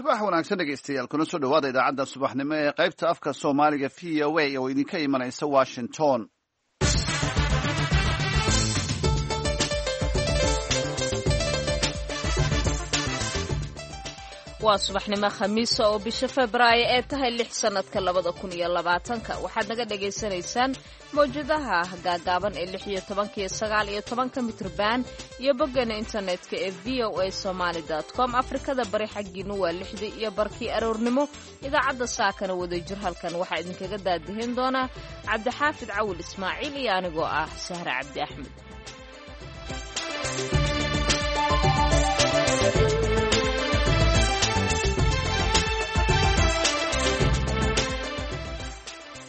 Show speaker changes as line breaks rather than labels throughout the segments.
Subax wanaagsan dhegeystayaal, kuna soo dhawaada idaacadda subaxnimo ee qaybta afka Soomaaliga VOA oo idinka imanaysa Washington.
Waa subaxnimo Khamiisa oo bisha Febraayo ee tahay 6 sanadka 2020-ka. Waxaad naga dhagaysanaysaan mawjadaha gaagaaban ee 16-ka iyo 19-ka mitrban iyo boggana internetka ee VOA Somali com. Afrikada Bari xaggiinu waa 6:30 aroornimo. Idaacadda saakana wadajir halkan waxaa idinkaga daadihin doonaa Cabdixaafid Cawil Ismaaciil iyo anigoo ah Sahre Cabdi Axmed.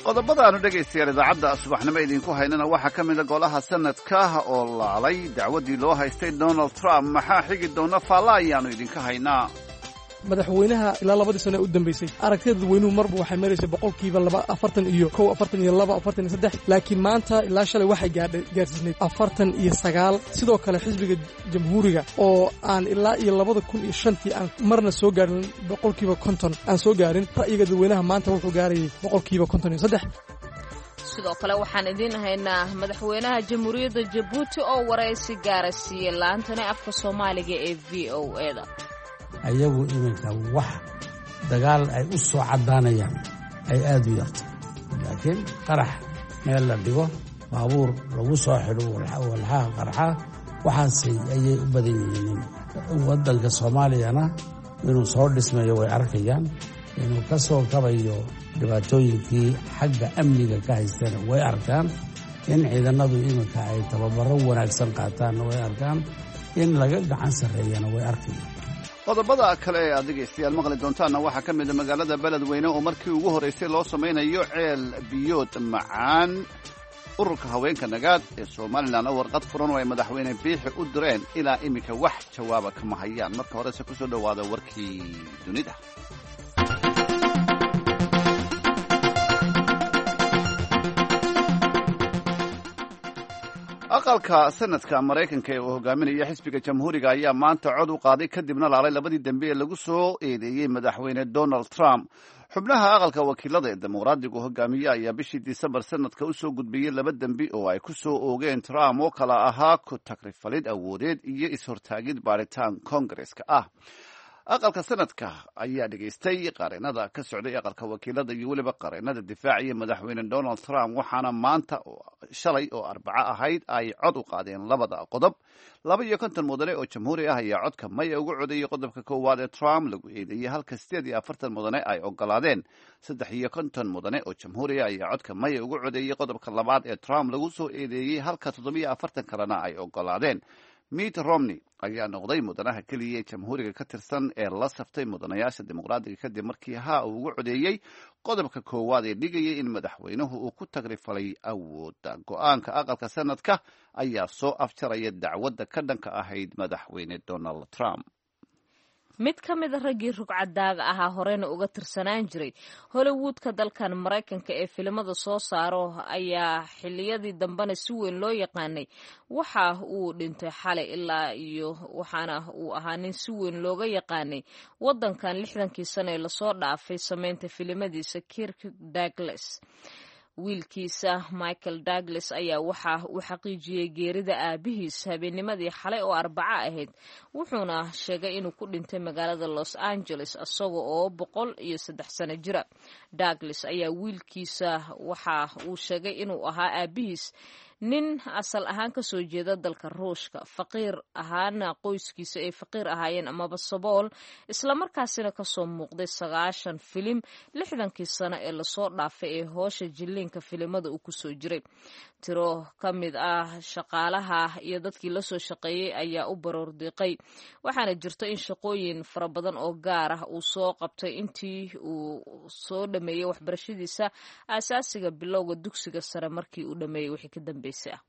Qodobada aanu dhegaystayaal idaacadda subaxnimo idinku haynana waxaa ka mida golaha sanadka oo laalay dacwaddii loo haystay Donald Trump. Maxaa xigi doona? Faalla ayaanu idinka haynaa.
Madaxweynaha ilaa 2dii sano ee u dambaysay aragtida dadweynuhu marba waxay maraysay 2% 41, 42, 43, laakiin maanta ilaa shalay waxay gaadhgaarsiisnayd 49. Sidoo kale xisbiga Jamhuuriga oo aan ilaa iyo 2005-tii aan marna soo gaarin 50% aan soo gaarin ra'yiga dadweynaha, maanta wuxuu gaarayay 53%.
Sidoo kale waxaan idiin haynaa madaxweynaha Jamhuuriyadda Jabuuti oo waraysi gaara siiyey laantani afka Soomaaliga ee VOA-da.
Ayagu iminka wax dagaal ay u soo caddaanayaan ay aad u yarto, laakiin qarax meel la dhigo, baabuur lagu soo xidho walxaha qarxa, waxaase ayay u badan yihiin. Waddanka Soomaaliyana inuu soo dhismayo way arkayaan, inuu ka soo kabayo dhibaatooyinkii xagga amniga ka haysteena way arkaan, in ciidanadu iminka ay tababaro wanaagsan qaataanna way arkaan, in laga gacan sarreeyana way arkayaan.
Qodobada kale ee aad dhegaystayaal maqli doontaanna waxaa ka mida magaalada Beledweyne oo markii ugu horraysay loo samaynayo ceel biyood macaan. Ururka haweenka Nagaad ee Somalilan oo warqad furan oo ay madaxweyne Biixi u direen ilaa iminka wax jawaaba kama hayaan. Marka horese kusoo dhowaada warkii dunida. Aqalka Sanadka Maraykanka ee uu hogaaminaya xisbiga Jamhuuriga ayaa maanta cod u qaaday kadibna laalay labadii dembe ee lagu soo eedeeyey madaxweyne Donald Trump. Xubnaha aqalka wakiilada ee Dimuqraadigu hogaamiye ayaa bishii Disembar sanadka usoo gudbiyey laba dembi oo ay ku soo oogeen Trump oo kala ahaa ku takrifalid awoodeed iyo is-hortaagid baaritaan Kongareska ah. Aqalka Sanadka ayaa dhegaystay qareenada ka socday aqalka wakiilada iyo weliba qareenada difaaciya madaxweyne Donald Trump, waxaana maanta, shalay oo Arbaco ahayd, ay cod u qaadeen labada qodob. 52 mudane oo Jamhuuri ah ayaa codka maya ugu codeeyey qodobka koowaad ee Trump lagu eedeeyey, halka 48 mudane ay ogolaadeen. 53 mudane oo Jamhuuri ah ayaa codka maya ugu codeeyey qodobka labaad ee Trump lagu soo eedeeyey, halka 47 kalena ay ogolaadeen. Mitt Romney ayaa noqday mudanaha keliya ee Jamhuuriga ka tirsan ee la saftay mudanayaasha Dimuqraadiga kadib markii haa uu ugu codeeyey qodobka koowaad ee dhigayay in madaxweynuhu uu ku tagrifalay awoodda. Go-aanka aqalka Sanadka ayaa soo afjaraya dacwadda ka dhanka ahayd madaxweyne Donald Trump.
Mid ka mid a raggii rugcadaaga ahaa horeyna uga tirsanaan jiray Hollywoodka dalkan Maraykanka ee filimada soo saaro ayaa xiliyadii dambena si weyn loo yaqaanay waxa uu dhintay xalay ilaa iyo, waxaana uu ahaa nin si weyn looga yaqaanay wadankan 60-kii sano ee lasoo dhaafay sameynta filimadiisa, Kirk Douglas. Wiilkiisa Michael Douglas ayaa waxa uu xaqiijiyey geerida aabihiis habeennimadii xalay oo Arbaco ahayd, wuxuuna sheegay inuu ku dhintay magaalada Los Angeles isaga oo 103 sano jira. Douglas ayaa wiilkiisa waxa uu sheegay inuu ahaa aabihiis nin asal ahaan kasoo jeeda dalka Ruushka, faqiir ahaana qoyskiisa ay faqiir ahaayeen amaba sabool, islamarkaasina kasoo muuqday 90 filim 60-kii sano ee lasoo dhaafay ee hoosha jilliinka filimada uu kusoo jiray. Tiro ka mid ah shaqaalaha iyo dadkii lasoo shaqeeyey ayaa u baroordiiqay, waxaana jirto in shaqooyin fara badan oo gaar ah uu soo qabtay intii uu soo dhameeyey waxbarashadiisa aasaasiga, bilowga dugsiga sare markii uu dhameeyey wixii ka dambeysay ah.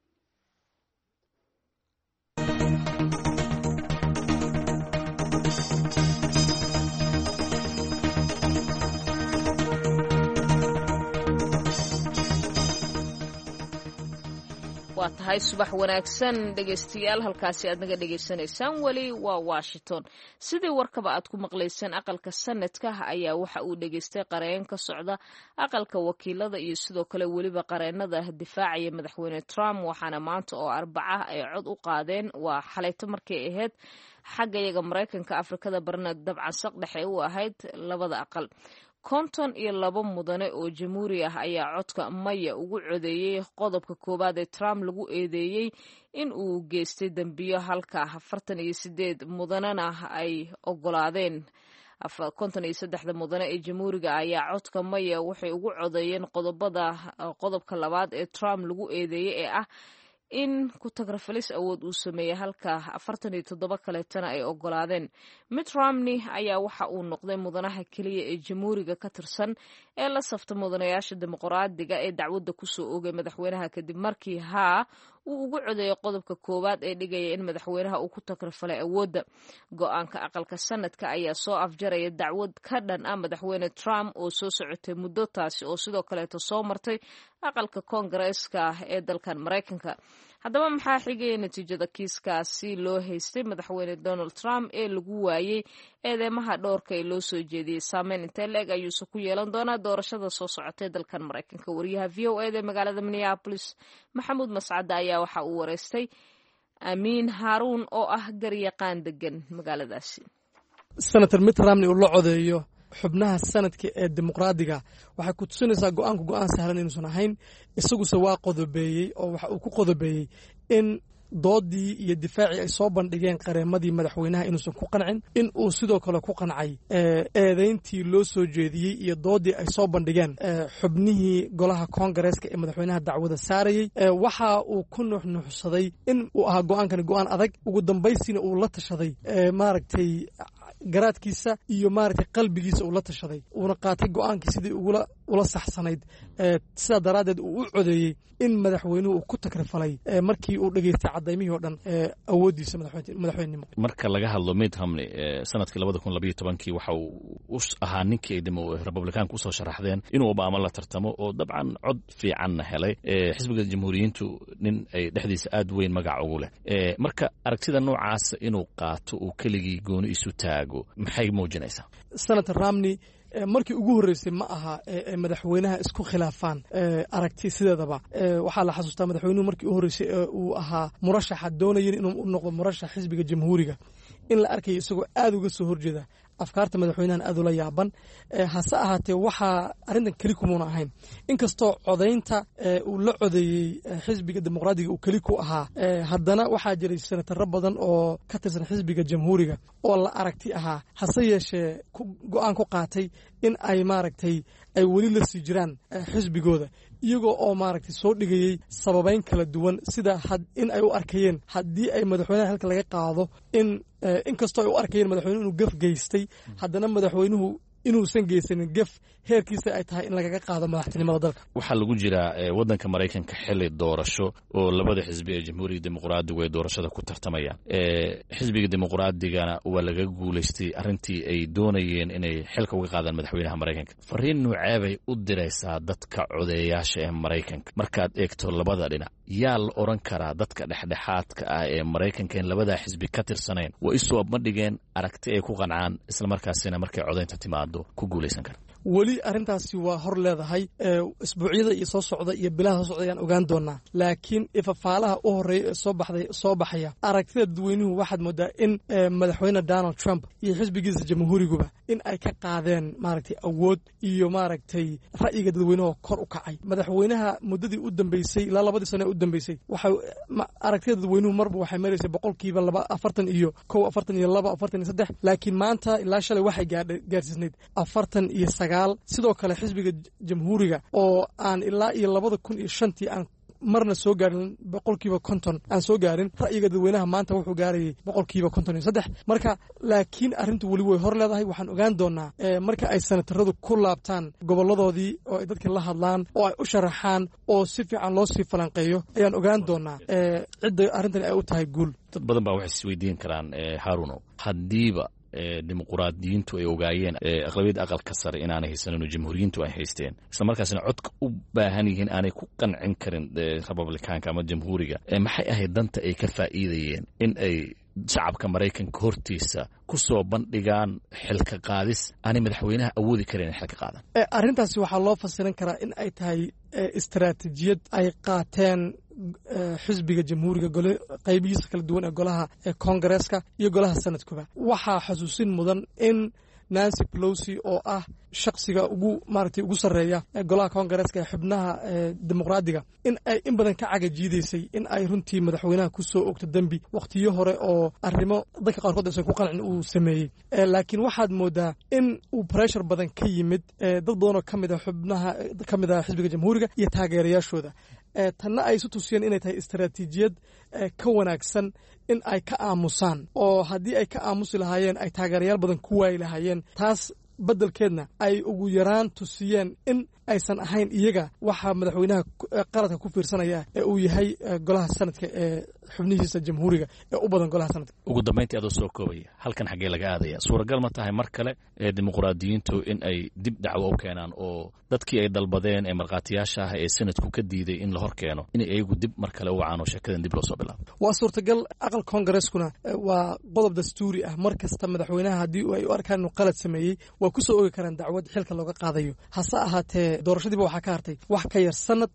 Waa tahay, subax wanaagsan dhegaystayaal. Halkaasi aad naga dhegaysanaysaan weli waa Washington. Sidii warkaba aad ku maqlayseen, aqalka sanadka ayaa waxa uu dhegaystay qareen ka socda aqalka wakiilada iyo sidoo kale weliba qareenada difaacaya madaxweyne Trump, waxaana maanta oo Arbaca ay cod u qaadeen. Waa xalayto markay ahayd xagga iyaga Maraykanka, Afrikada barna dabcan saq dhexe u ahayd. Labada aqal 52 mudane oo jamhuuri ah ayaa codka maya ugu codeeyey qodobka koowaad ee Trump lagu eedeeyey in uu geystay dembiyo, halka 48 mudanena ay ogolaadeen. 53-da mudane ee jamhuuriga ayaa codka maya waxay ugu codeeyeen qodobada qodobka labaad ee Trump lagu eedeeyey ee ah in ku-tagrafalis awood uu sameeyey, halka 47 kaleetana ay ogolaadeen. Mitt Romney ayaa waxa uu noqday mudanaha keliya ee jamhuuriga ka tirsan ee la safta mudanayaasha dimuqraadiga ee dacwadda kusoo oogay madaxweynaha, kadib markii haa uu ugu codeeyay qodobka koowaad ee dhigaya in madaxweynaha uu ku tagrafalay awoodda. Go-aanka aqalka sanadka ayaa soo afjaraya dacwad ka dhan ah madaxweyne Trump oo soo socotay muddo, taasi oo sidoo kaleeto soo martay aqalka koongareeska ee dalkan Maraykanka. Haddaba maxaa xigaya natiijada kiiskaasi loo haystay madaxweyne Donald Trump ee lagu waayey eedeymaha dhowrka ee loo soo jeediyey? Saameyn intee la-eg ayuuse ku yeelan doonaa doorashada soo socotay dalkan Maraykanka? Wariyaha VOA da ee magaalada Minneapolis, Maxamuud Mascadda, ayaa waxa uu wareystay Amiin Haaruun oo ah garyaqaan degan magaaladaasi.
Senator Mitt Romney uu la codeeyo xubnaha sanadka ee dimuqraadiga waxay ku tusinaysaa go-aanku go-aan sahlan inuusan ahayn. Isaguse waa qodobeeyey, oo waxa uu ku qodobeeyey in doodii iyo difaacii ay soo bandhigeen qareemadii madaxweynaha inuusan ku qancin, in uu sidoo kale ku qancay eedeyntii loo soo jeediyey iyo doodii ay soo bandhigeen xubnihii golaha koongareeska ee madaxweynaha dacwada saarayey. Waxa uu ku nuuxnuuxsaday in uu ahaa go-aankani go-aan adag, ugu dambaysiina uu la tashaday maaragtay garaadkiisa iyo maaragtay qalbigiisa uu la tashaday, uuna qaatay go-aankii sidii ugula ula saxsanayd. Sidaa daraaddeed uu u codeeyey in madaxweynuhu uu ku takrifalay markii uu dhegeystay cadaymihii oo dhan awooddiisa madaxweynenimo.
Marka laga hadlo Mitt Romney, sanadkii 2012-kii waxa uu u ahaa ninkii ay Republikaanku usoo sharaxdeen inuu Obama la tartamo, oo dabcan cod fiicanna helay. Xisbiga Jamhuuriyiintu nin ay dhexdiisa aad weyn magac ugu leh. Marka aragtida noocaasa inuu qaato, uu keligii gooni isu taago, maxay muujinaysaa?
Senator Romney markii ugu horreysay ma aha madaxweynaha isku khilaafaan aragti. Sideedaba waxaa la xasuustaa madaxweynuhu markii u horreysay ee uu ahaa murashaxa doonayin inuu u noqdo murashax xisbiga Jamhuuriga in la arkayo isagoo aad uga soo horjeeda afkaarta madaxweynahan, aad ula yaaban. Hase ahaatee, waxaa arrintan keli kumuuna ahayn, inkastoo codaynta uu la codeeyey xisbiga dimuqraadiga uu keli ku ahaa, haddana waxaa jiray senataro badan oo ka tirsan xisbiga Jamhuuriga oo la aragti ahaa, hase yeeshee go-aan ku qaatay in ay maaragtay ay weli la sii jiraan xisbigooda, iyagoo oo maaragtay soo dhigayey sababeyn kala duwan, sida in ay u arkayeen haddii ay madaxweynaha halka laga qaado in inkastoo ay u arkayeen madaxweynuhu inuu gef geystay, haddana madaxweynuhu inuusan geysanin gef heerkiisa ay tahay in lagaga qaado madaxtinimada dalka.
Waxaa lagu jiraa waddanka Maraykanka xili doorasho oo labada xisbi ee Jamhuuriga, Dimuqraadigu ay doorashada ku tartamayaan. Xisbiga Dimuqraadigana waa laga guulaystay arrintii ay doonayeen inay xilka uga qaadaan madaxweynaha Maraykanka. Fariin nuuceebay u diraysaa dadka codeeyaasha ee Maraykanka markaad eegto labada dhinac? Yaa la odhan karaa dadka dhexdhexaadka ah ee Maraykanka in labadaa xisbi ka tirsanayn waa isoo bandhigeen aragti ay ku qancaan, islamarkaasina markay codaynta timaado ku guulaysan kara?
Weli arrintaasi waa hor leedahay. Isbuucyada iyo soo socda iyo bilaha soo socda ayaan ogaan doonaa, laakiin ifafaalaha u horreeya ee soo baxday soo baxaya aragtida dadweynuhu waxaad moodaa in madaxweyne Donald Trump iyo xisbigiisa Jamhuuriguba in ay ka qaadeen maaragtay awood iyo maaragtay ra'yiga dadweynuhu kor u kacay. Madaxweynaha muddadii u dambeysay, ilaa 2dii sano ee u dambeysay, waxay aragtida dadweynuhu marba waxay maraysay 2% 41, 42, 43, laakiin maanta ilaa shalay waxay gaadhgaarsiisnayd 49. Sidoo kale xisbiga Jamhuuriga oo aan ilaa iyo 2005-tii aan marna soo gaarin 50% aan soo gaarin ra'yiga dadweynaha, maanta wuxuu gaarayay 53%. Marka laakiin arrintu weli way hor leedahay. Waxaan ogaan doonaa marka ay senataradu ku laabtaan goboladoodii oo ay dadka la hadlaan oo ay u sharaxaan oo si fiican loo sii falanqeeyo ayaan ogaan doonaa cidda arrintani ay u tahay guul.
Dad badan baa waxay isweydiin karaan, Haarunow, haddiiba Dimuquraadiyiintu ay ogaayeen aqlabiyadda aqalka sare inaanay haysanin oo jamhuuriyiintu ay haysteen, isla markaasina codka u baahan yihiin aanay ku qancin karin Republikaanka ama Jamhuuriga, maxay ahayd danta ay ka faa'iidayeen in ay shacabka Maraykanka hortiisa ku soo bandhigaan xilka qaadis aanay madaxweynaha awoodi karin in xilka qaadan?
Arrintaasi waxaa loo fasiran karaa in ay tahay istaraatiijiyad ay qaateen xisbiga Jamhuuriga gole qaybihiisa kala duwan ee golaha Koongareeska iyo golaha Sanadkuba. Waxaa xusuusin mudan in Nancy Pelosi, oo ah shaksiga ugu maaragtay ugu sarreeya golaha Koongareeska ee xubnaha Dimuqraadiga, in ay in badan ka cagajiidaysay in ay runtii madaxweynaha ku soo ogto dembi wakhtiyo hore oo arrimo dadka qaarkood aysan ku qancin uu sameeyey. Laakiin waxaad moodaa in uu pressure badan ka yimid dad badan oo ka mid a xubnaha ka mid ah xisbiga Jamhuuriga iyo taageerayaashooda, tanna ay isu tusiyeen inay tahay istaraatiijiyad ka wanaagsan in ay ka aamusaan, oo haddii ay ka aamusi lahaayeen ay taageerayaal badan ku waayi lahaayeen, taas beddelkeedna ay ugu yaraan tusiyeen in aysan ahayn iyaga waxaa madaxweynaha qaladka ku fiirsanaya ee uu yahay golaha Sanadka ee xubnihiisa Jamhuuriga ee u badan golaha Sanadka.
Ugu dambayntii, adoo soo koobaya, halkan xaggee laga aadaya? Suuragal ma tahay mar kale ee Dimuqraadiyiintu in ay dib dacwo u keenaan oo dadkii ay dalbadeen ee markhaatiyaasha ah ee Sanadku ka diiday in la hor keeno inay iyagu dib mar kale u wacaan oo sheekadan dib loo soo bilaabo?
Waa suurtagal. Aqal Koongareskuna waa qodob dastuuri ah. Mar kasta madaxweynaha haddii ay u arkaan inuu qalad sameeyey, waa ku soo ogi karaan dacwad xilka looga qaadayo. Hase ahaatee, doorashadiiba waxaa ka hartay wax ka yar sanad,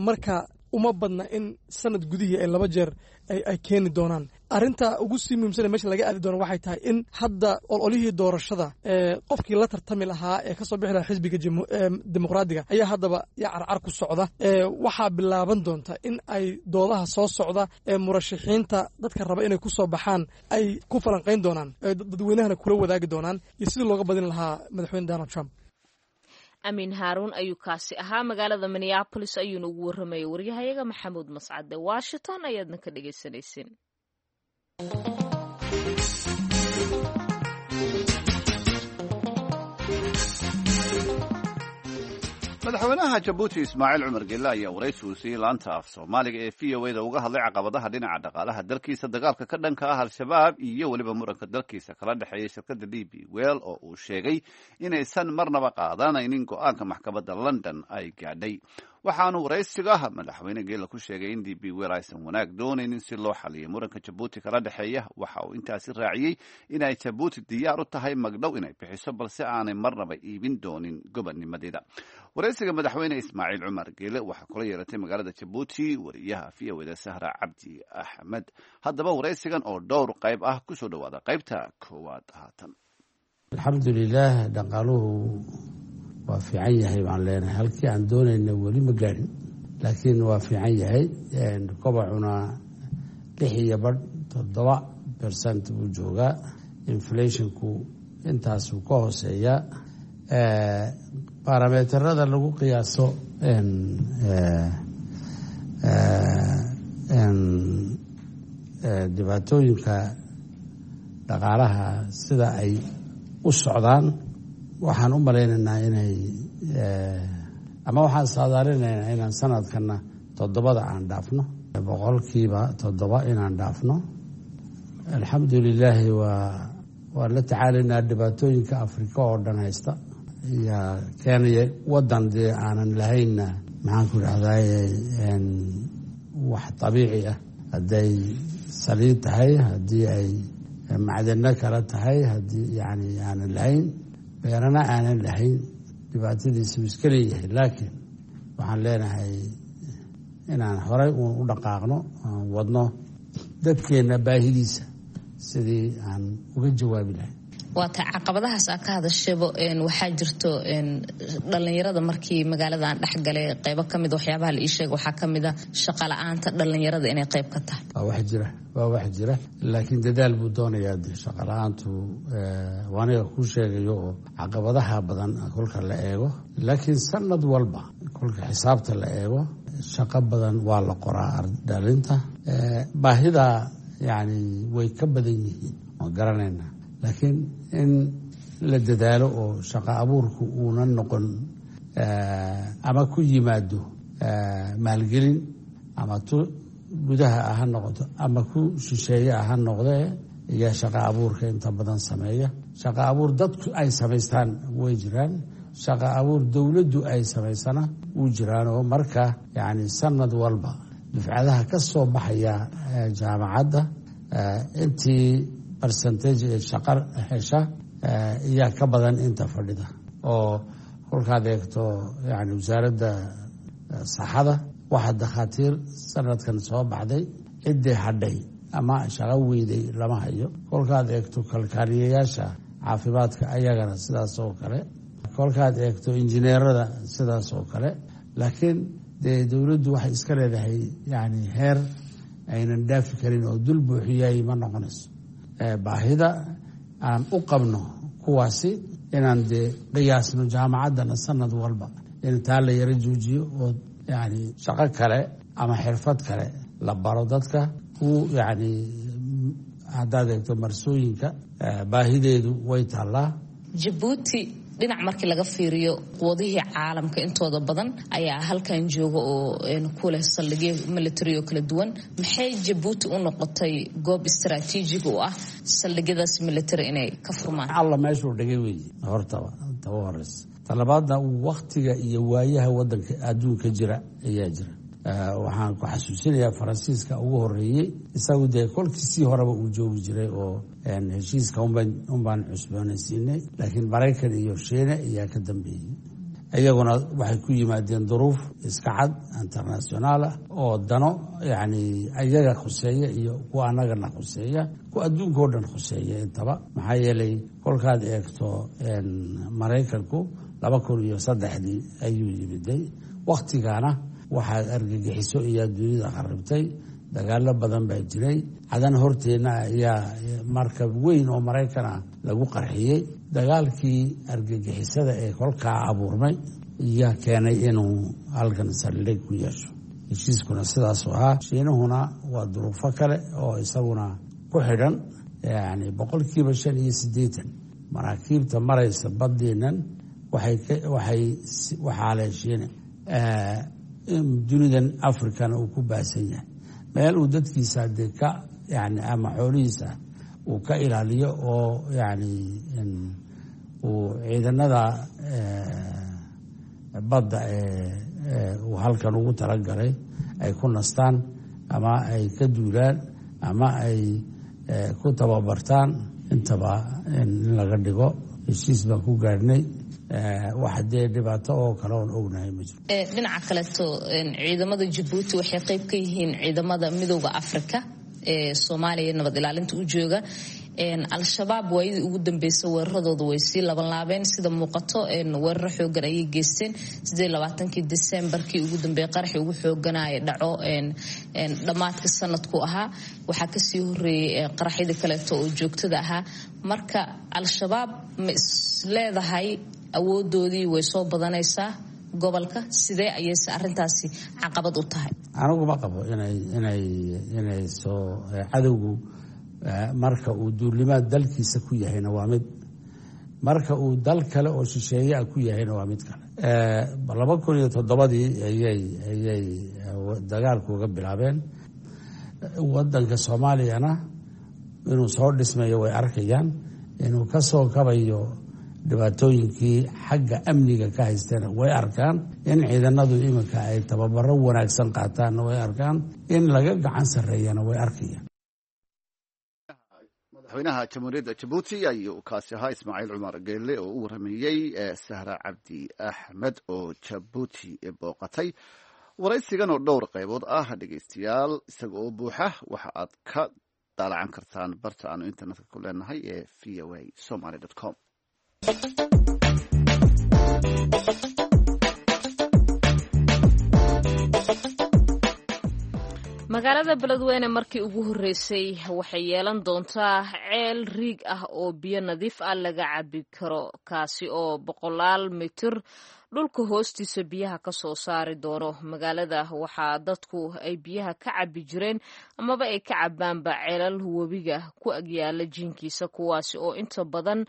marka uma badna in sanad gudihii ay laba jeer ay keeni doonaan. Arrinta ugu sii muhiimsan meesha laga aadi doono waxay tahay in hadda ololihii doorashada qofkii la tartami lahaa ee kasoo bixi lahaa xisbiga Dimuqraadiga ayaa haddaba yaa carcar ku socda. Waxaa bilaaban doonta in ay doodaha soo socda ee murashaxiinta dadka raba inay ku soo baxaan ay ku falanqayn doonaan, dadweynahana kula wadaagi doonaan iyo sidii looga badin lahaa madaxweyne Donald Trump.
Amiin Haaruun ayuu kaasi ahaa. Magaalada Minneapolis ayuuna ugu warramayay waryahayaga Maxamuud Mascade. Washington ayaadna ka dhagaysanayseen.
Madaxweynaha Jabuuti Ismaaciil Cumar Gelle ayaa waraysi uu siiyey laanta af Soomaaliga ee VOA da uga hadlay caqabadaha dhinaca dhaqaalaha dalkiisa, dagaalka ka dhanka ah Al-Shabaab iyo weliba muranka dalkiisa kala dhexeeya shirkadda DP World, oo uu sheegay inaysan marnaba qaadanaynin go-aanka maxkamadda London ay gaadhay. Waxaanu waraysiga madaxweyne Geela ku sheegay in DP World aysan wanaag doonaynin si loo xaliyo muranka Jabuuti kala dhexeeya. Waxa uu intaasi raaciyey in ay Jabuuti diyaar u tahay magdhow inay bixiso, balse aanay marnaba iibin doonin gobonnimadeeda. Waraysiga madaxweyne Ismaaciil Cumar Geele waxaa kula yeelatay magaalada Jabuuti wariyaha VOA da Sahra Cabdi Axmed. Haddaba, waraysigan oo dhowr qayb ah, kusoo dhawaada qaybta koowaad haatan.
Alxamdulilaah, dhaqaaluhu waa fiican yahay baan leenahay. Halkii aan doonayna weli ma gaadhin, laakiin waa fiican yahay. Kobacuna 6.5, 7% buu joogaa. Inflationku intaasuu ka hooseeyaa. Barometerada lagu qiyaaso dhibaatooyinka dhaqaalaha sida ay u socdaan, waxaan u malaynaynaa inay ama waxaan saadaalinaynaa inaan sanadkana 7da aan dhaafno, 7% inaan dhaafno. Alxamdulilaahi, waa la tacaalaynaa dhibaatooyinka Afrika oo dhan haysta yaa keenaya wadan dee aanan lahaynna, maxaan ku idhahdaye, wax dabiici ah, hadday saliid tahay, haddii ay macdano kale tahay, haddii yani aanan lahayn beerana aanan lahayn, dhibaatadiisa uu iska leeyahay. Laakiin waxaan leenahay inaan horay uun u dhaqaaqno, aan wadno dadkeenna baahidiisa sidii aan uga jawaabi lahayn.
Waata caqabadahaas aa ka hadashayba. Waxaa jirto dhalinyarada markii magaalada aan dhexgalay, qeybo kamid waxyaabaha la ii sheega waxaa kamid a shaqa la-aanta dhalinyarada inay qeyb ka tahay.
Waa wax jira, waa wax jira, laakiin dadaal buu doonayaa. De shaqa la-aantu aniga kuu sheegayo oo caqabadaha badan kolka la eego, laakiin sanad walba kolka xisaabta la eego shaqo badan waa la qoraa. Dhalinta baahida yani way ka badan yihiin, waan garanaynaa, laakiin in la dadaalo oo shaqo abuurku uuna noqon ama ku yimaado maalgelin ama tu gudaha ah ha noqoto ama ku shisheeye ah ha noqdee. Ayaa shaqa abuurka inta badan sameeya. Shaqa abuur dadku ay samaystaan way jiraan, shaqa abuur dowladdu ay samaysana wuu jiraan. Oo marka yacni sanad walba dufcadaha ka soo baxaya jaamacadda intii percentage ee shaqa hesha ayaa ka badan inta fadhida. Oo kolkaad eegto yani wasaaradda saxada, waxaa dakhaatiir sanadkan soo baxday ciddii hadhay ama shaqo weyday lama hayo. Kolkaad eegto kalkaaliyayaasha caafimaadka, ayagana sidaas oo kale. Kolkaad eegto injineerada, sidaas oo kale. Laakiin dee dowladdu waxay iska leedahay yani heer aynan dhaafi karin oo dul buuxiyay ma noqonayso baahida aan u qabno kuwaasi inaan dee qiyaasno. Jaamacaddana sanad walba in taa la yaro joojiyo oo yani shaqo kale ama xirfad kale la baro dadka ku yani. Haddaad eegto marsooyinka, baahideedu way taallaa.
Jabuuti dhinac markii laga fiiriyo, quwadihii caalamka intooda badan ayaa halkan jooga oo ku leh saldhigyo military oo kala duwan. Maxay Jabuuti u noqotay goob istaraatiijig u ah saldhigyadaas military inay ka furmaan?
Alla meeshuu dhigay weeye hortaba taba horeysa. Talabaadna, waktiga iyo waayaha wadanka adduunka jira ayaa jira. Waxaan ku xasuusinayaa Faransiiska ugu horeeyey, isagu dee kolkiisii horeba uu joogi jiray oo heshiiska unbaan cusboonaysiinay. Laakiin Maraykan iyo Shiine ayaa ka dambeeyey. Iyaguna waxay ku yimaadeen duruuf iska cad internationaal ah oo dano yacni ayaga khuseeya iyo kuwa annagana khuseeya, kuwa adduunka oo dhan khuseeya intaba. Maxaa yeelay, kolkaad eegto Maraykanku 2003dii ayuu yimiday. Wakhtigaana waxaad argagixiso iyaa dunida kharibtay, dagaalo badan baa jiray. Cadan horteenna ayaa markab weyn oo Maraykan ah lagu qarxiyey. Dagaalkii argagixisada ee kolkaa abuurmay ayaa keenay inuu halkan saldhig ku yeesho. Heshiiskuna sidaasuu ahaa. Shiinuhuna waa duruufo kale oo isaguna ku xidhan. Yani 85% maraakiibta maraysa baddiinan waxay waxaa leh Shiine. Dunidan Africana uu ku baahsan yahay meel uu dadkiisa dee ka yani ama xoolihiisa uu ka ilaaliyo oo yani uu ciidanada badda ee uu halkan ugu talagalay ay ku nastaan ama ay ka duulaan ama ay ku tababartaan intaba in laga dhigo. Heshiis baan ku gaadhnay. Wax dee dhibaato oo kale oon ognahay ma jiro.
Dhinaca kaleeto, ciidamada Jabuuti waxay qayb ka yihiin ciidamada Midooda Africa ee Soomaaliya nabad ilaalinta u jooga. Al-Shabaab waayadii ugu dambeysay weeraradooda way sii labanlaabeen sida muuqato. Weeraro xoogan ayay geysteen 28-kii Disembarkii ugu dambeeyay, qaraxii ugu xooganaya dhaco dhammaadka sanadku ahaa. Waxaa kasii horeeyay qaraxyadii kaleeto oo joogtada ahaa. Marka Al-Shabaab ma is leedahay awoodoodii way soo badanaysaa gobolka? Sidee ayayse arrintaasi caqabad u tahay?
Anigu ma qabo inay soo. Cadowgu marka uu duulimaad dalkiisa ku yahayna waa mid, marka uu dal kale oo shisheeye ah ku yahayna waa mid kale. 2007dii ayay dagaalku uga bilaabeen wadanka Soomaaliyana. Inuu soo dhismayo way arkayaan, inuu ka soo kabayo dhibaatooyinkii xagga amniga ka haysteena way arkaan, in ciidanadu iminka ay tababaro wanaagsan qaataanna way arkaan, in laga gacan sarreeyana way arkayaan.
Madaxweynaha Jamhuuriyadda Jabuuti ayuu kaasi ahaa, Ismaaciil Cumar Geelle, oo u waramayey Sahra Cabdi Axmed oo Jabuuti booqatay. Waraysigan oo dhowr qaybood ah, dhegeystayaal, isaga oo buuxa waxa aad ka daalacan kartaan barta aanu internetka ku leenahay ee voasomaly.com.
Magaalada Beledweyne markii ugu horreysay waxay yeelan doontaa ceel riig ah oo biyo nadiif ah laga cabi karo, kaasi oo boqolaal mitir dhulka hoostiisa biyaha ka soo saari doono. Magaalada waxaa dadku ay biyaha ka cabi jireen amaba ay ka cabaanba ceelal webiga ku agyaala jiinkiisa, kuwaasi oo inta badan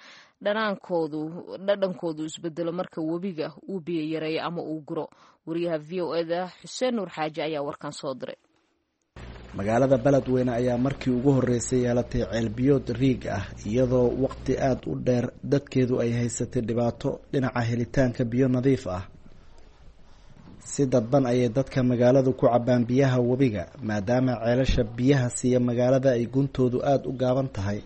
dhanaankoodu dhadhankoodu isbedelo marka webiga uu biyo yareeyo ama uu guro. Wariyaha VOA-da Xuseen Nuur Xaaji ayaa warkan soo diray.
Magaalada Beledweyne ayaa markii ugu horeysay yeelatay ceelbiyood riig ah, iyadoo waqti aada u dheer dadkeedu ay haysatay dhibaato dhinaca helitaanka biyo nadiif ah. Si dadban ayay dadka magaaladu ku cabaan biyaha webiga, maadaama ceelasha biyaha siiya magaalada ay guntoodu aada u gaaban tahay.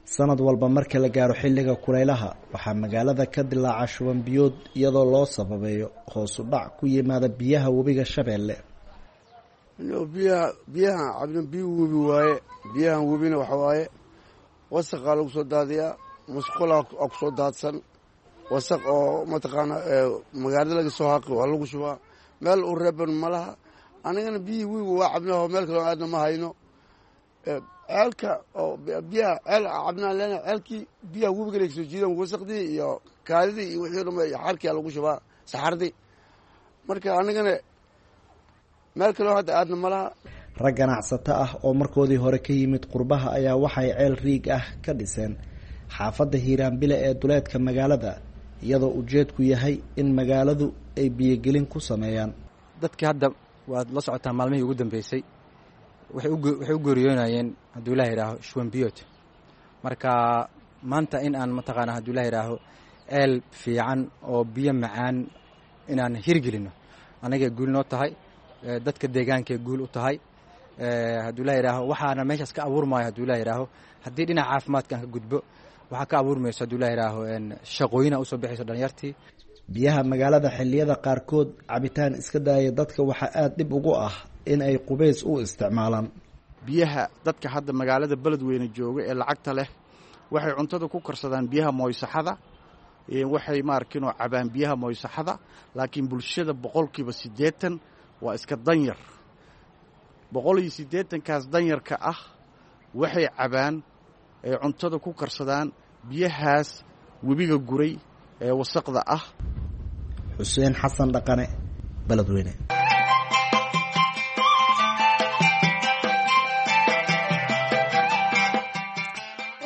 Sanad walba marka la gaaro xilliga kulaylaha, waxaa magaalada ka dilaaca shuban biyood, iyadoo loo sababeeyo hoos u dhac ku yimaada biyaha webiga Shabeelle.
Biyaha biyahan cabna biyo webi waaye. Biyahan webina waxa waaye wasaqaa lagu soo daadiyaa, musqulaa aa ku soo daadsan wasaq oo mataqaana magaalada laga soo haqi waa lagu shubaa, meel u reeban ma laha. Anigana biyihii webiga waa cabnaa, meel kaloo aadna ma hayno. Ceelka oo biyaha ceel cabnaan leena, ceelkii biyaha webiga laga soo jiidan, wasaqdii iyo kaadidii iyo wixii dhan iyo xarkia lagu shubaa, saxardii. Marka anigana meel kaloo hadda aadna ma laha.
Rag ganacsato ah oo markoodii hore ka yimid qurbaha ayaa waxay ceel riig ah ka dhiseen xaafadda Hiiraanbile ee duleedka magaalada, iyadoo ujeedku yahay in magaaladu ay biyogelin ku sameeyaan.
Dadkii hadda waad la socotaa, maalmihii ugu dambeysay waxay u geeriyoonayeen, hadduu Ilaah yidhaaho, shuwanbiyood. Marka maanta in aan mataqaana, hadduu Ilah yidhaaho, ceel fiican oo biyo macaan inaan hirgelino, anagay guul noo tahay, dadka deegaankay guul u tahay, hadduu Ilah yidhaaho. Waxaana meeshaas ka abuurmaayo, hadduu Ilah yidhaaho, haddii dhinaca caafimaadka aan ka gudbo, waxaa ka abuurmayso, hadduu Ilah yidhaaho, shaqooyina usoo bixayso dhalinyartii.
Biyaha magaalada xilliyada qaarkood cabitaan iska daaya, dadka waxaa aada dhib ugu ah in ay qubays u isticmaalaan.
Biyaha dadka hadda magaalada Beledweyne jooga ee lacagta leh waxay cuntada ku karsadaan biyaha moysaxada, waxay maarkinoo cabaan biyaha moysaxada, laakiin bulshada 80% waa iska danyar. 180-kaas danyarka ah waxay cabaan ay cuntada ku karsadaan biyahaas webiga guray ee wasaqda ah.
Xuseen Xasan Dhaqane, Beledweyne.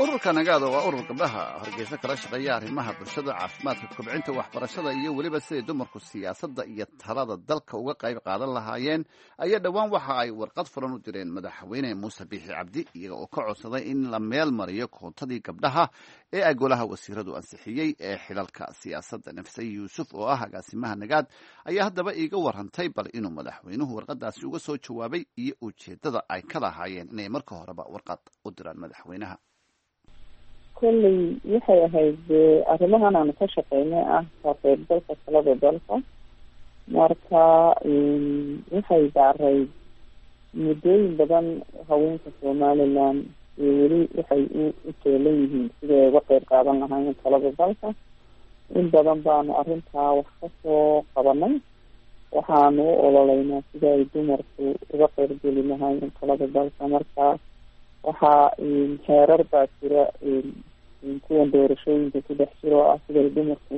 Ururka Nagaada waa urur gabdhaha Hargeysa kala shaqeeya arrimaha bulshada, caafimaadka, kobcinta waxbarashada iyo weliba siday dumarku siyaasadda iyo talada dalka uga qayb qaadan lahaayeen, ayaa dhowaan waxa ay warqad furan u direen Madaxweyne Muuse Biixi Cabdi, iyaga oo ka codsaday in la meel mariyo koontadii gabdhaha ee ay golaha wasiiradu ansixiyey ee xilalka siyaasadda. Nafse Yuusuf oo ah agaasimaha Nagaad ayaa haddaba iiga warantay bal inuu madaxweynuhu warqadaasi uga soo jawaabay iyo ujeeddada ay ka lahaayeen inay marka horeba warqad u diraan madaxweynaha.
Kolley waxay ahayd arrimahan aanu ka shaqeynay ah ka qaybgalka talada dalka. Marka waxay daarayd muddooyin badan haweenka Somaliland iyo weli waxay u teelan yihiin sidii ay uga qeyb qaadan lahaayeen talada dalka. In badan baanu arrintaa wax kasoo qabanay. Waxaanu u ololeynaa sida ay dumarku uga qeybgeli lahaayeen talada dalka. Marka waxaa xeerar baa jira kuwan doorashooyinka ku dhex jira oo ah siday dumarku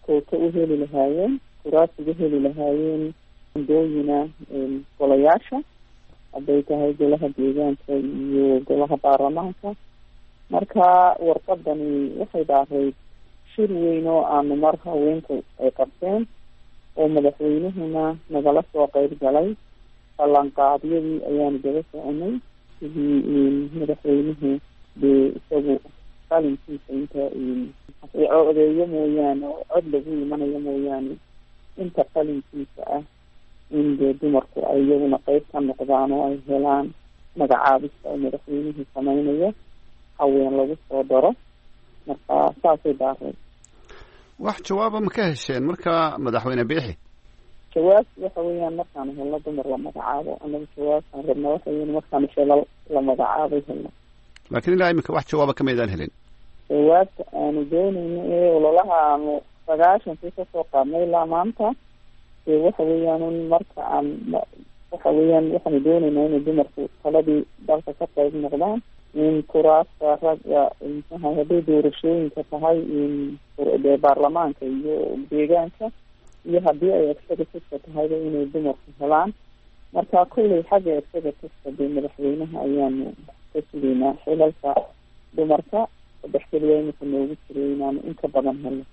kooto u heli lahaayeen, kuraas uga heli lahaayeen dooyina golayaasha, hadday tahay golaha deegaanka iyo golaha baarlamaanka. Marka warqadani waxay dhaarayd shir weyn oo aanu mar haweenku ay qabteen oo madaxweynuhuna nagala soo qeyb galay. Ballanqaadyadii ayaanu daba soconay, sidii madaxweynuhu dee isagu qalinkiisa inta odeeyo mooyaane oo cod lagu imanayo mooyaane, inta qalinkiisa ah in dee dumarku ay iyaguna qeyb ka noqdaan oo ay helaan magacaabista oo madaxweynuhu sameynayo haween lagu soo daro. Marka saasay daaray.
Wax jawaaba ma ka hesheen marka madaxweyne Biixi?
Jawaabtu waxa weeyaan markaanu helno dumar la magacaabo. Anagu jawaabtaan rabna waxa weyan markaanu shelal la magacaabay helno.
Laakiin ilaa iminka wax jawaaba kamaydaan helin.
Jawaabta aanu doonayno ee ololaha aanu 90-kii kasoo qaadnay ilaa maanta dee waxa weeyaan un marka aan waxa weeyaan waxaanu doonaynaa inay dumarku taladii dalka ka qayb noqdaan, in kuraasta ragga muxuaha hadday doorashooyinka tahay dee baarlamaanka iyo deegaanka iyo haddii ay executiveka tahayba inay dumarku helaan. Marka kolley xagga executiveka dee madaxweynaha ayaanu ka sugaynaa xilalka dumarka saddex keliya imika noogu jiray inaanu in ka badan helno.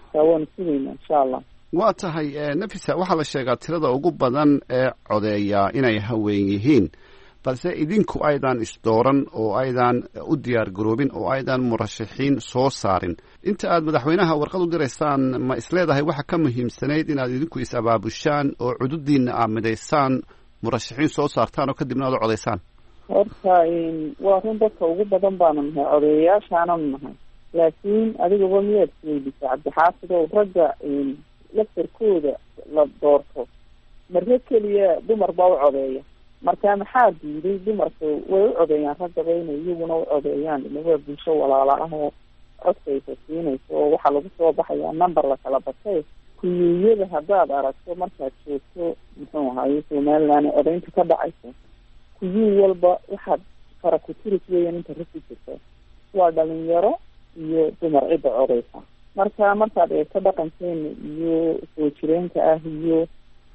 Marka waanu sugaynaa insha Allah.
Waa tahay, Nafisa, waxaa la sheegaa tirada ugu badan ee codeeya inay haween yihiin, balse idinku aydan isdooran oo aydan u diyaar garoobin oo aydan murashaxiin soo saarin. Inta aad madaxweynaha warqad u diraysaan, ma isleedahay waxa ka muhiimsanayd inaad idinku is-abaabushaan oo cududiinna aad midaysaan, murashaxiin soo saartaan oo kadibna aad u codaysaan?
Horta waa run, dadka ugu badan baanu nahay, codeeyayaashaananu nahay, laakiin adigaba miyaad isweydisaa, Cabdixaafid ow, ragga laftarkooda la doorto marre keliya dumar baa u codeeya. Marka maxaa diiday dumarku way u codeeyaan raggaba inay iyaguna u codeeyaan? Ila waa bulsho walaala ah oo codkaysa siinayso, oo waxaa lagu soo baxayaa number la kala batay. Kuyuuyada haddaad aragto markaad joogto, muxuu ahaye, Somaliland codeynta ka dhacayso, kuyuu walba waxaad fara ku-tiris weeyaan inta rag ku jirta, waa dhalinyaro iyo dumar cidda codeysa. Marka markaad eegto dhaqankeena iyo soo jireenka ah iyo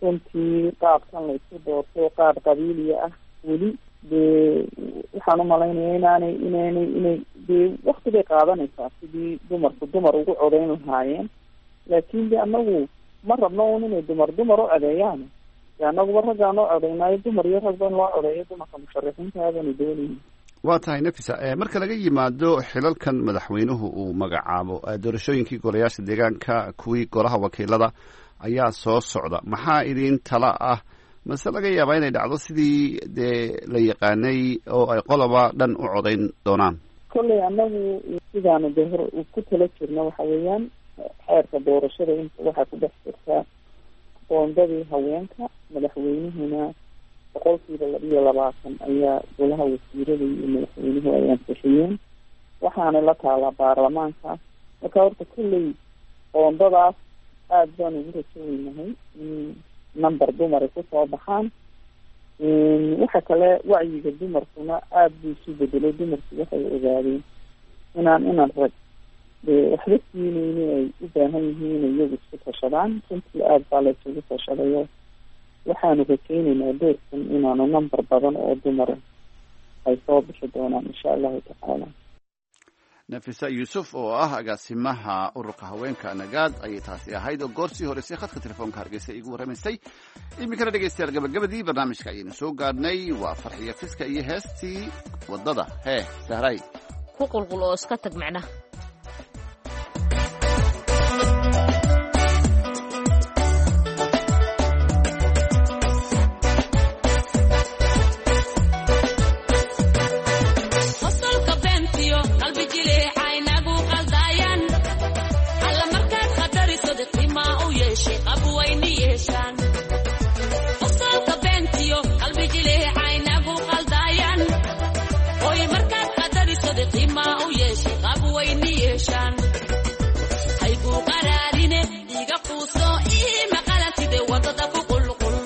runtii qaabkan la isku doorto, qaab qabiiliya ah weli, dee waxaan umalaynaya inaanay inaanay inay dee wakti bay qaadanaysaa sidii dumarku dumar ugu codeyn lahaayeen. Laakiin de anagu ma rabno un inay dumar dumar u codeeyaan, de anaguba raggaan u codeynaayo, dumar iyo ragba in loo codeeyo dumarka musharaxiinta aadanu doonayna.
Waa tahay, Nafisa, marka laga yimaado xilalkan madaxweynuhu uu magacaabo, doorashooyinkii golayaasha deegaanka, kuwii golaha wakiilada ayaa soo socda. Maxaa idin tala ah? Mase laga yaabaa inay dhacdo sidii dee la yaqaanay oo ay qoloba dhan u codayn doonaan?
Kolley anagu sidaanu de hor ku tala jirno waxa weeyaan xeerka doorashada inta waxaa ku dhex jirta qoondadii haweenka, madaxweynuhuna 22% ayaa golaha wasiirada iyo madaxweynuhu ay ansixiyeen, waxaana la taalaa baarlamaanka. Marka horta kolley qoondadaas aada baan ugu rajoweynahay in number dumar ay kusoo baxaan. Waxa kale wacyiga dumarkuna aada buu isu bedelay. Dumarku waxay ogaadeen inaan rag dee waxba siineyni, ay u baahan yihiin inay iyagu isku tashadaan. Runtii aada baa la isugu tashadayo, waxaanu rajeyneynaa doorkan inaanu number badan oo dumara ay soo bixi doonaan, insha Allahu tacaala.
Nafisa Yuusuf oo ah agaasimaha ururka haweenka Nagaad ayay taasi ahayd, oo goorsii horeysay khadka telefoonka Hargeysa iigu warramaysay. Iminkana dhegeystayaal, gabagabadii barnaamijka ayaynu soo gaadhnay. Waa Farxiyo Fiska iyo heestii waddada. Hee Sahray.
Ku qulqul oo iska tag macnaha.
Qosolka beentiyo qalbi jileeca inagu qaldayaan, alla markaad khatariso qimaa u yeeshay qab wayni yeeshaan. Qosolka beentiyo qalbi jileeca inagu qaldayaan, oy markaad khatariso qimaa u yeeshay qab wayni yeeshaan. Hayguu qaraarine iga quuso ii maqalantide wadada ku qulqul.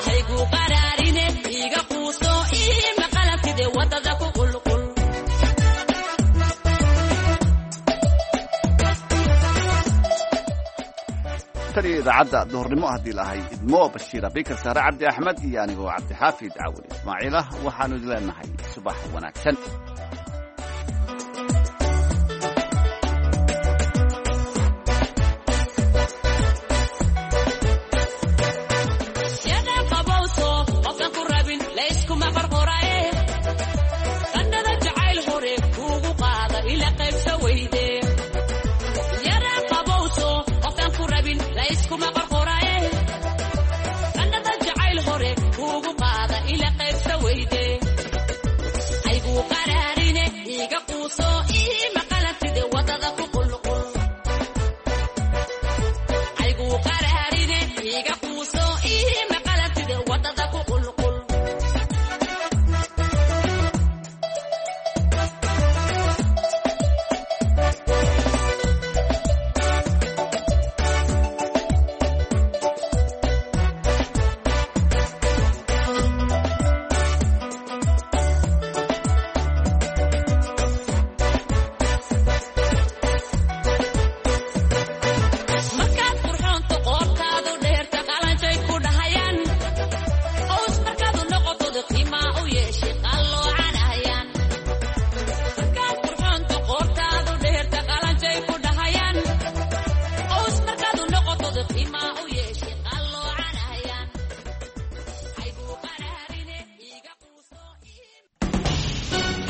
Hayguu qaraarine iga quuso ii maqalantide wadada ku qulqul.
Tan iyo idaacadda duhurnimo haddii lahay idmo, Bashiira Bikar, Saare Cabdi Axmed iyo anigoo Cabdixaafid Cawil Ismaaciil ah, waxaanu idin leenahay subax wanaagsan.